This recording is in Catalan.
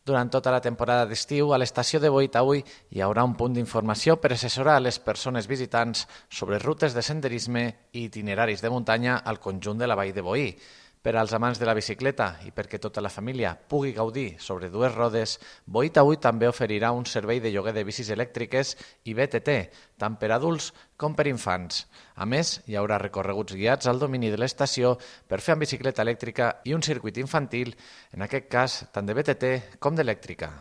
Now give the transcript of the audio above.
Durant tota la temporada d'estiu, a l'estació de Boí hi haurà un punt d'informació per assessorar a les persones visitants sobre rutes de senderisme i itineraris de muntanya al conjunt de la vall de Boí. Per als amants de la bicicleta i perquè tota la família pugui gaudir sobre dues rodes, Boí també oferirà un servei de lloguer de bicis elèctriques i BTT, tant per adults com per infants. A més, hi haurà recorreguts guiats al domini de l'estació per fer amb bicicleta elèctrica i un circuit infantil, en aquest cas tant de BTT com d'elèctrica.